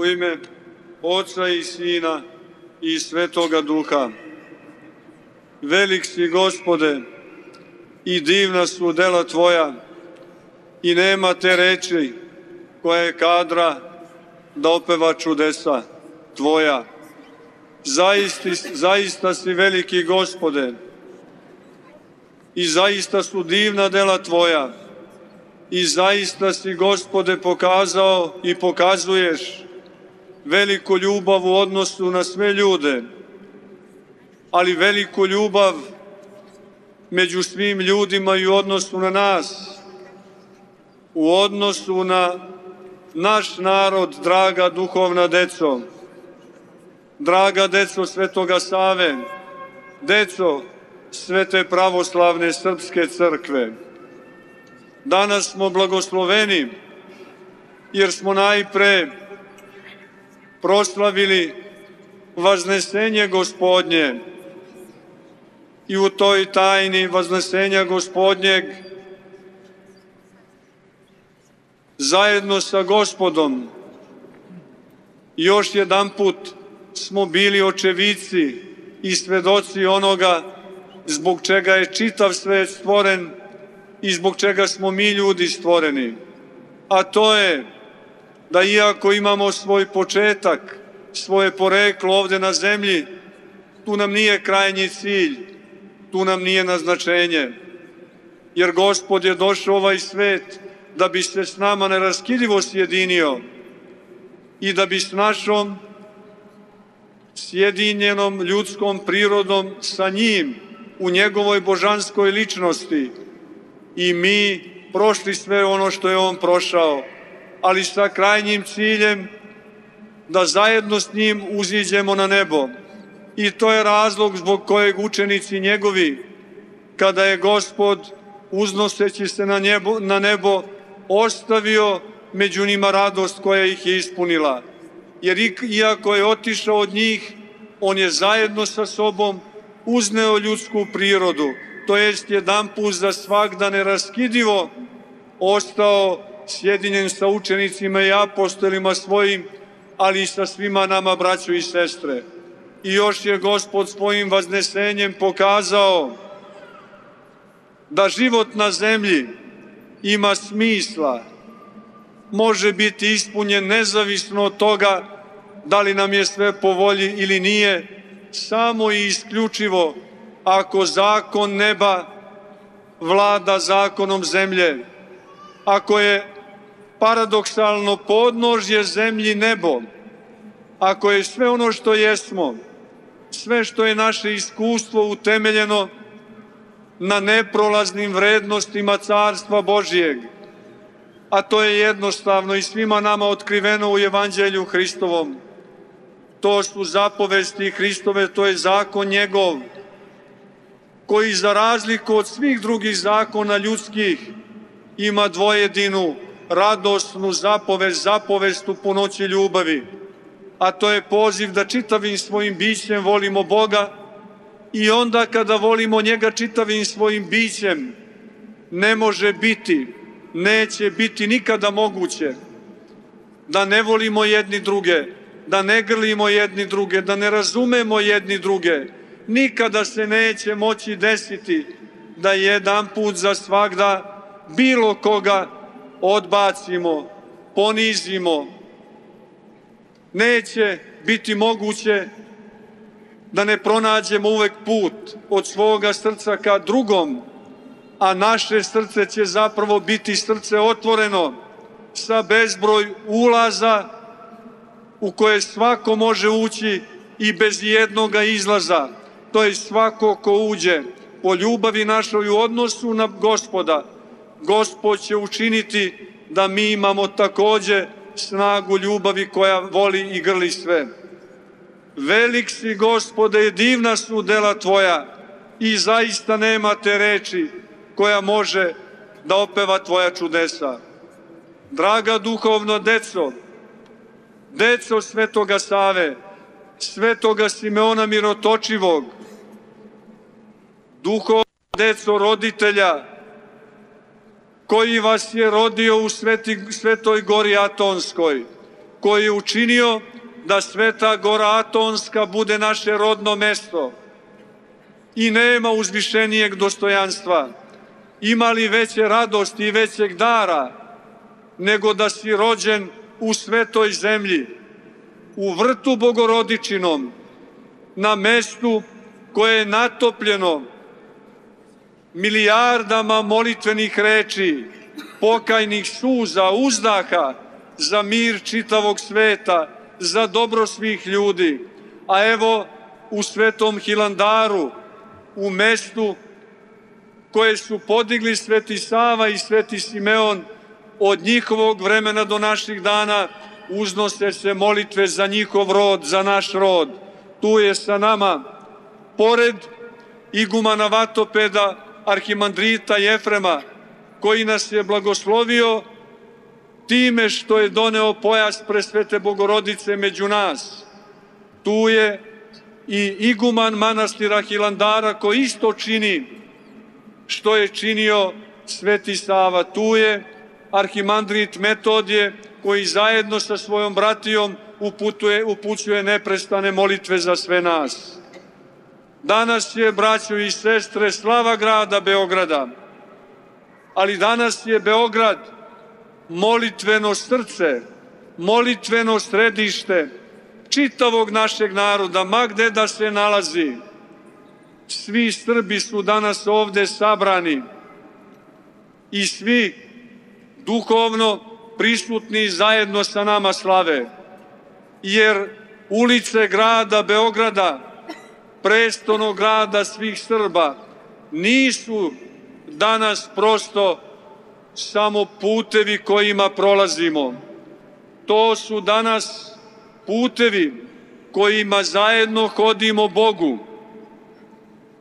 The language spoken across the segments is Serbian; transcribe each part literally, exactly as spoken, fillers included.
U ime Oca i Sina i Svetoga Duha. Velik si, Gospode, i divna su dela Tvoja, i nema te reči koja je kadra da opeva čudesa Tvoja. Zaista, zaista si veliki, Gospode, i zaista su divna dela Tvoja, i zaista si, Gospode, pokazao i pokazuješ veliku ljubav u odnosu na sve ljude, ali veliku ljubav među svim ljudima i u odnosu na nas, u odnosu na naš narod, draga duhovna deco, draga deco Svetoga Save, deco Svete pravoslavne srpske crkve. Danas smo blagosloveni jer smo najpre proslavili Vaznesenje Gospodnje i u toj tajni Vaznesenja Gospodnjeg zajedno sa Gospodom još jedanput smo bili očevici i svedoci onoga zbog čega je čitav svet stvoren i zbog čega smo mi ljudi stvoreni. A to je da iako imamo svoj početak, svoje poreklo ovde na zemlji, tu nam nije krajnji cilj, tu nam nije naznačenje. Jer Gospod je došao u ovaj svet da bi se s nama neraskidivo sjedinio i da bi s našom sjedinjenom ljudskom prirodom sa njim u njegovoj božanskoj ličnosti i mi prošli sve ono što je on prošao, ali sa krajnjim ciljem da zajedno s njim uziđemo na nebo. I to je razlog zbog kojeg učenici njegovi, kada je Gospod uznoseći se na nebo, na nebo ostavio među njima radost koja ih je ispunila. Jer iako je otišao od njih, on je zajedno sa sobom uzneo ljudsku prirodu, to jest jedan put za svagda neraskidivo ostao sjedinjen sa učenicima i apostolima svojim, ali i sa svima nama, braćo i sestre. I još je Gospod svojim vaznesenjem pokazao da život na zemlji ima smisla, može biti ispunjen nezavisno od toga da li nam je sve po volji ili nije, samo i isključivo ako zakon neba vlada zakonom zemlje, ako je paradoksalno podnožje zemlji nebo, ako je sve ono što jesmo, sve što je naše iskustvo utemeljeno na neprolaznim vrednostima Carstva Božijeg, a to je jednostavno i svima nama otkriveno u Evanđelju Hristovom. To su zapovesti Hristove, to je zakon njegov, koji za razliku od svih drugih zakona ljudskih ima dvojedinu radosnu zapovest, zapovest u punoći ljubavi, a to je poziv da čitavim svojim bićem volimo Boga i onda kada volimo njega čitavim svojim bićem ne može biti, neće biti nikada moguće da ne volimo jedni druge, da ne grlimo jedni druge, da ne razumemo jedni druge. Nikada se neće moći desiti da jedan put za svagda bilo koga odbacimo, ponizimo. Neće biti moguće da ne pronađemo uvek put od svoga srca ka drugom, a naše srce će zapravo biti srce otvoreno sa bezbroj ulaza u koje svako može ući i bez jednoga izlaza. To je svako ko uđe po ljubavi našoj u odnosu na Gospoda. Gospod će učiniti da mi imamo takođe snagu ljubavi koja voli i grli sve. Velik si, Gospode, i divna su dela Tvoja i zaista nema te reči koja može da opeva Tvoja čudesa. Draga duhovno deco, deco Svetoga Save, Svetoga Simeona Mirotočivog, duhovno deco roditelja koji vas je rodio u Sveti, Svetoj gori Atonskoj, koji je učinio da Sveta Gora Atonska bude naše rodno mesto. I nema uzvišenijeg dostojanstva, ima li veće radosti i većeg dara, nego da si rođen u svetoj zemlji, u vrtu Bogorodičinom, na mestu koje je natopljeno milijardama molitvenih reči, pokajnih suza, uzdaha za mir čitavog sveta, za dobro svih ljudi. A evo u Svetom Hilandaru, u mestu koje su podigli Sveti Sava i Sveti Simeon, od njihovog vremena do naših dana uznose se molitve za njihov rod, za naš rod. Tu je sa nama, pored igumana Vatopeda, arhimandrita Jefrema, koji nas je blagoslovio time što je doneo pojas Presvete Bogorodice među nas. Tu je i iguman manastira Hilandara koji isto čini što je činio Sveti Sava. Tu je arhimandrit Metodije koji zajedno sa svojom bratijom uputuje, upućuje neprestane molitve za sve nas. Danas je, braćo i sestre, slava grada Beograda, ali danas je Beograd molitveno srce, molitveno središte čitavog našeg naroda, ma gde da se nalazi. Svi Srbi su danas ovde sabrani i svi duhovno prisutni zajedno sa nama slave, jer ulice grada Beograda, prestonog grada svih Srba, nisu danas prosto samo putevi kojima prolazimo. To su danas putevi kojima zajedno hodimo Bogu,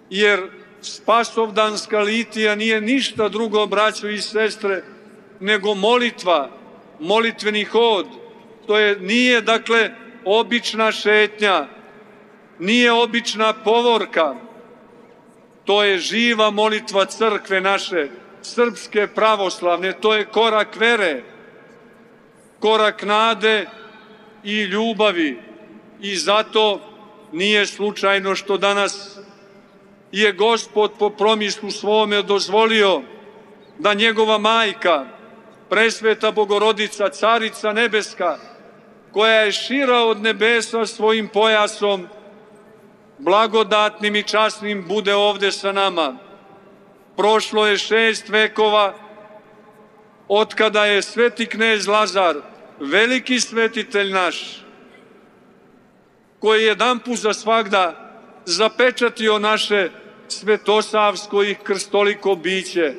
jer Spasovdanska litija nije ništa drugo, braćo i sestre, nego molitva, molitveni hod. To je, nije, dakle, obična šetnja, nije obična povorka, to je živa molitva crkve naše, srpske pravoslavne, to je korak vere, korak nade i ljubavi. I zato nije slučajno što danas je Gospod po promislu svome dozvolio da njegova majka, Presveta Bogorodica, Carica Nebeska, koja je šira od nebesa svojim pojasom, blagodatnim i časnim, bude ovde sa nama. Prošlo je šest vekova od kada je sveti knez Lazar, veliki svetitelj naš, koji je jedanput za svagda zapečatio naše svetosavsko i krstoliko biće,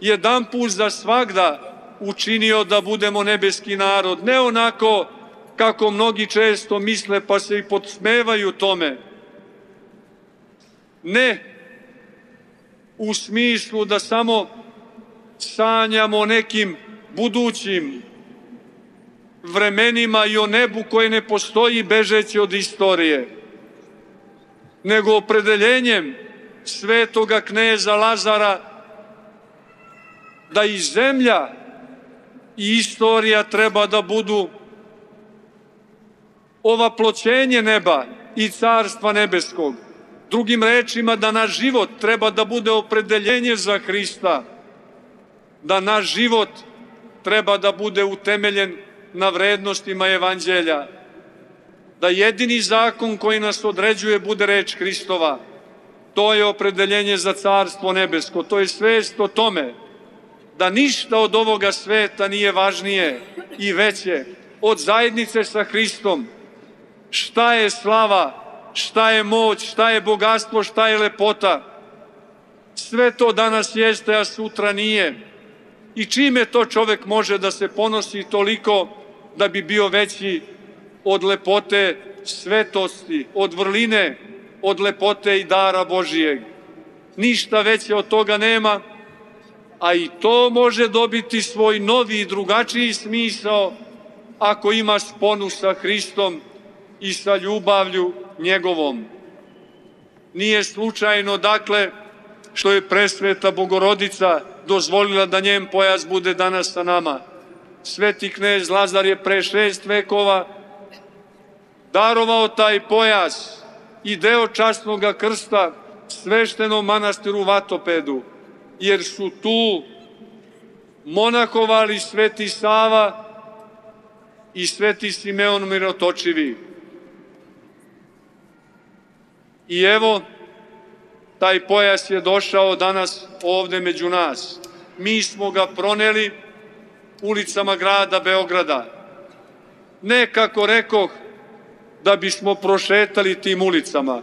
jedanput za svagda učinio da budemo nebeski narod, ne onako kako mnogi često misle pa se i podsmevaju tome. Ne u smislu da samo sanjamo o nekim budućim vremenima i o nebu koje ne postoji bežeći od istorije, nego opredeljenjem svetoga kneza Lazara da i zemlja i istorija treba da budu ovaploćenje neba i carstva nebeskog. Drugim rečima, da naš život treba da bude opredeljenje za Hrista, da naš život treba da bude utemeljen na vrednostima Evanđelja, da jedini zakon koji nas određuje bude reč Hristova. To je opredeljenje za carstvo nebesko, to je svest o tome da ništa od ovoga sveta nije važnije i veće od zajednice sa Hristom. Šta je slava, šta je moć, šta je bogatstvo, šta je lepota. Sve to danas jeste, a sutra nije. I čime to čovek može da se ponosi toliko da bi bio veći od lepote svetosti, od vrline, od lepote i dara Božijeg? Ništa veće od toga nema, a i to može dobiti svoj novi i drugačiji smisao ako ima sponu sa Hristom i sa ljubavlju njegovom. Nije slučajno, dakle, što je Presveta Bogorodica dozvolila da njen pojas bude danas sa nama. sveti knez Lazar je pre šest vekova darovao taj pojas i deo časnog krsta sveštenom manastiru Vatopedu, jer su tu monahovali sveti Sava i sveti Simeon Mirotočivi. I evo, taj pojas je došao danas ovde među nas. Mi smo ga proneli ulicama grada Beograda. Ne, kako rekoh, da bismo prošetali tim ulicama,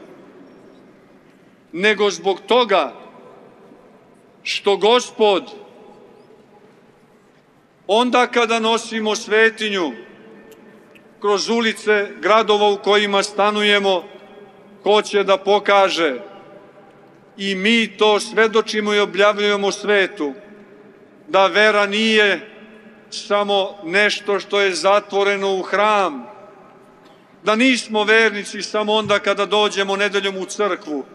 nego zbog toga što Gospod, onda kada nosimo svetinju kroz ulice gradova u kojima stanujemo, hoće da pokaže, i mi to svedočimo i objavljujemo svetu, da vera nije samo nešto što je zatvoreno u hram, da nismo vernici samo onda kada dođemo nedeljom u crkvu,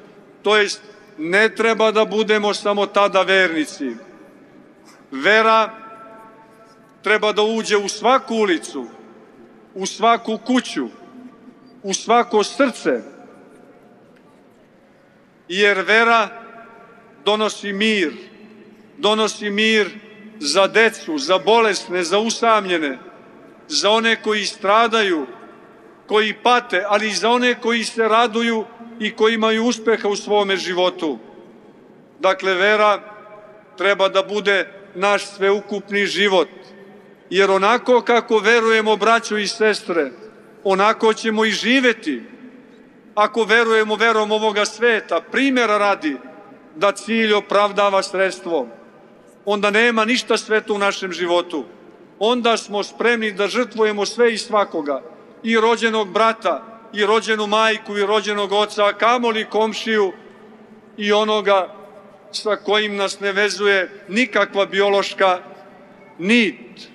to jest ne treba da budemo samo tada vernici. Vera treba da uđe u svaku ulicu, u svaku kuću, u svako srce, jer vera donosi mir, donosi mir za decu, za bolesne, za usamljene, za one koji stradaju, koji pate, ali i za one koji se raduju i koji imaju uspeha u svome životu. Dakle, vera treba da bude naš sveukupni život, jer onako kako verujemo, braćo i sestre, onako ćemo i živeti. Ako verujemo verom ovoga sveta, primjera radi, da cilj opravdava sredstvo, onda nema ništa sveto u našem životu. Onda smo spremni da žrtvujemo sve i svakoga, i rođenog brata, i rođenu majku, i rođenog oca, a kamoli komšiju i onoga sa kojim nas ne vezuje nikakva biološka nit.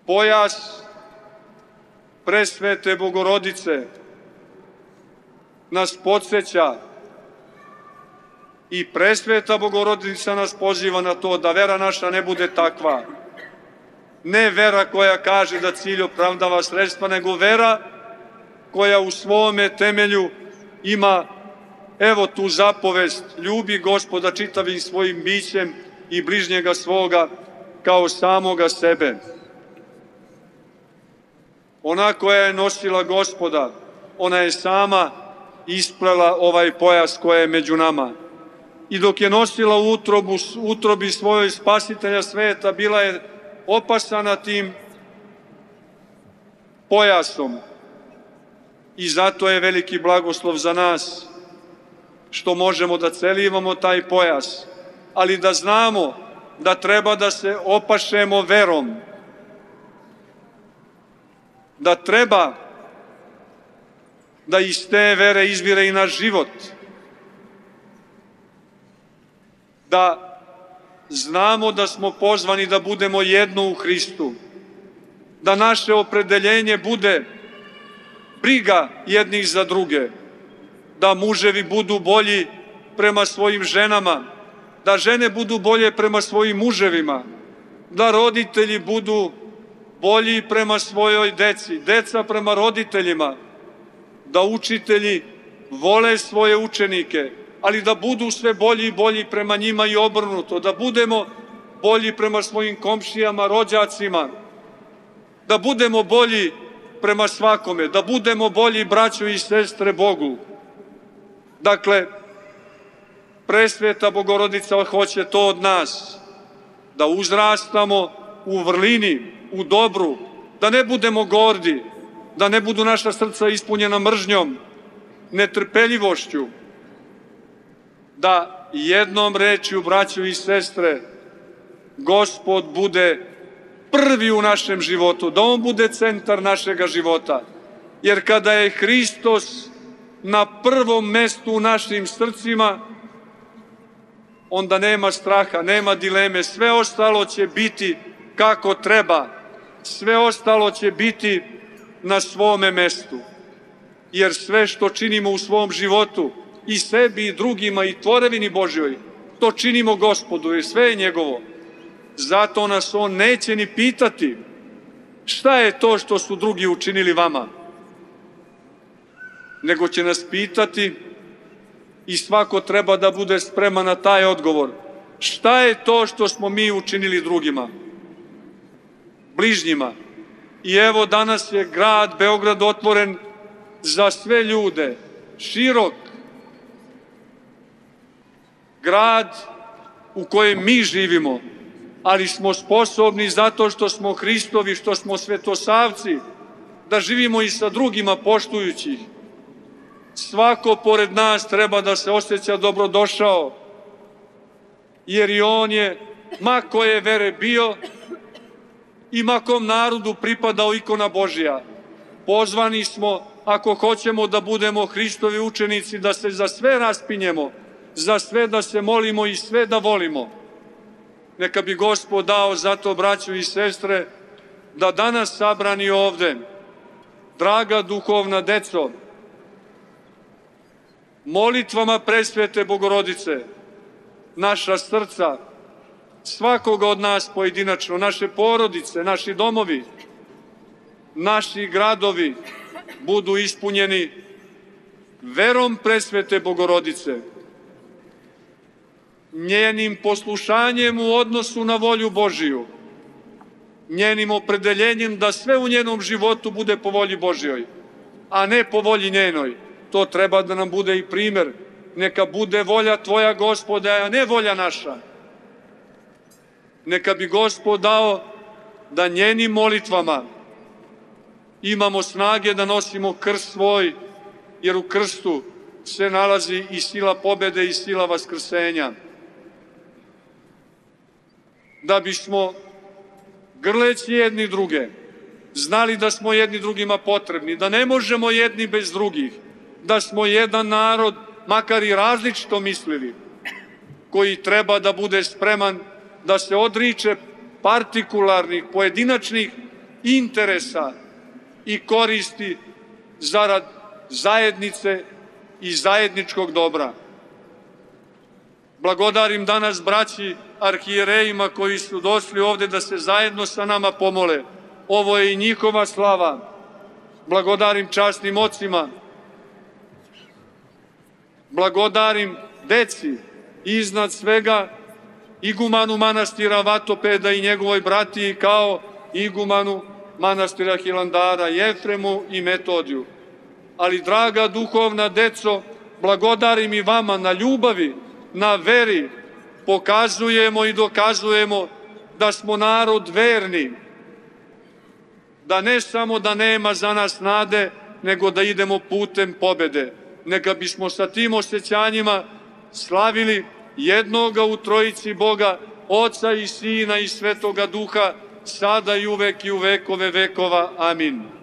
Pojas presvete Bogorodice nas podsjeća i presveta Bogorodica nas poziva na to da vera naša ne bude takva. Ne vera koja kaže da cilj opravdava sredstva, nego vera koja u svome temelju ima, evo tu zapovest, ljubi Gospoda čitavim svojim bićem i bližnjega svoga kao samoga sebe. Ona koja je nosila Gospoda, ona je sama isplela ovaj pojas koja je među nama. I dok je nosila u utrobu, utrobi svojoj spasitelja sveta, bila je opasana tim pojasom. I zato je veliki blagoslov za nas što možemo da celivamo taj pojas, ali da znamo da treba da se opašemo verom, da treba da iz te vere izvire i naš život, da znamo da smo pozvani da budemo jedno u Hristu, da naše opredeljenje bude briga jednih za druge, da muževi budu bolji prema svojim ženama, da žene budu bolje prema svojim muževima, da roditelji budu bolji prema svojoj deci, deca prema roditeljima, da učitelji vole svoje učenike, ali da budu sve bolji i bolji prema njima i obrnuto, da budemo bolji prema svojim komšijama, rođacima, da budemo bolji prema svakome, da budemo bolji braćo i sestre Bogu. Dakle, presveta Bogorodica hoće to od nas, da uzrastamo u vrlini, u dobru, da ne budemo gordi, da ne budu naša srca ispunjena mržnjom, netrpeljivošću, da jednom rečju, braćo i sestre, Gospod bude prvi u našem životu, da On bude centar našega života. Jer kada je Hristos na prvom mestu u našim srcima, onda nema straha, nema dileme, sve ostalo će biti kako treba, sve ostalo će biti na svome mestu. Jer sve što činimo u svom životu, i sebi i drugima i tvorevini Božjoj, to činimo Gospodu, jer sve je njegovo. Zato nas on neće ni pitati šta je to što su drugi učinili vama, nego će nas pitati i svako treba da bude spreman na taj odgovor. Šta je to što smo mi učinili drugima, bližnjima? I evo danas je grad Beograd otvoren za sve ljude, širok grad u kojem mi živimo, ali smo sposobni zato što smo Hristovi, što smo svetosavci, da živimo i sa drugima poštujući ih. Svako pored nas treba da se osjeća dobrodošao, jer i on je, ma koje vere bio i ma kom narodu pripadao, ikona Božja. Pozvani smo, ako hoćemo da budemo Hristovi učenici, da se za sve raspinjemo, za sve da se molimo i sve da volimo. Neka bi Gospod dao zato, braćo i sestre, da danas sabrani ovde, draga duhovna deco, molitvama presvete Bogorodice, naša srca, svakoga od nas pojedinačno, naše porodice, naši domovi, naši gradovi budu ispunjeni verom presvete Bogorodice, njenim poslušanjem u odnosu na volju Božiju, njenim opredeljenjem da sve u njenom životu bude po volji Božjoj, a ne po volji njenoj. To treba da nam bude i primer. Neka bude volja Tvoja, Gospode, a ne volja naša. Neka bi Gospod dao da njenim molitvama imamo snage da nosimo krst svoj, jer u krstu se nalazi i sila pobede i sila vaskrsenja. Da bismo, grleći jedni druge, znali da smo jedni drugima potrebni, da ne možemo jedni bez drugih, da smo jedan narod, makar i različito mislili, koji treba da bude spreman da se odriče partikularnih, pojedinačnih interesa i koristi zarad zajednice i zajedničkog dobra. Blagodarim danas braći arhijerejima koji su došli ovde da se zajedno sa nama pomole. Ovo je i njihova slava. Blagodarim časnim ocima, blagodarim deci, iznad svega igumanu manastira Vatopeda i njegovoj bratiji, kao igumanu manastira Hilandara, Jefremu i Metodiju. Ali, draga duhovna deco, blagodarim i vama na ljubavi, na veri, pokazujemo i dokazujemo da smo narod verni, da ne samo da nema za nas nade, nego da idemo putem pobede. Neka bismo sa tim osjećanjima slavili jednoga u trojici Boga, Oca i Sina i Svetoga Duha, sada i uvek i u vekove vekova. Amin.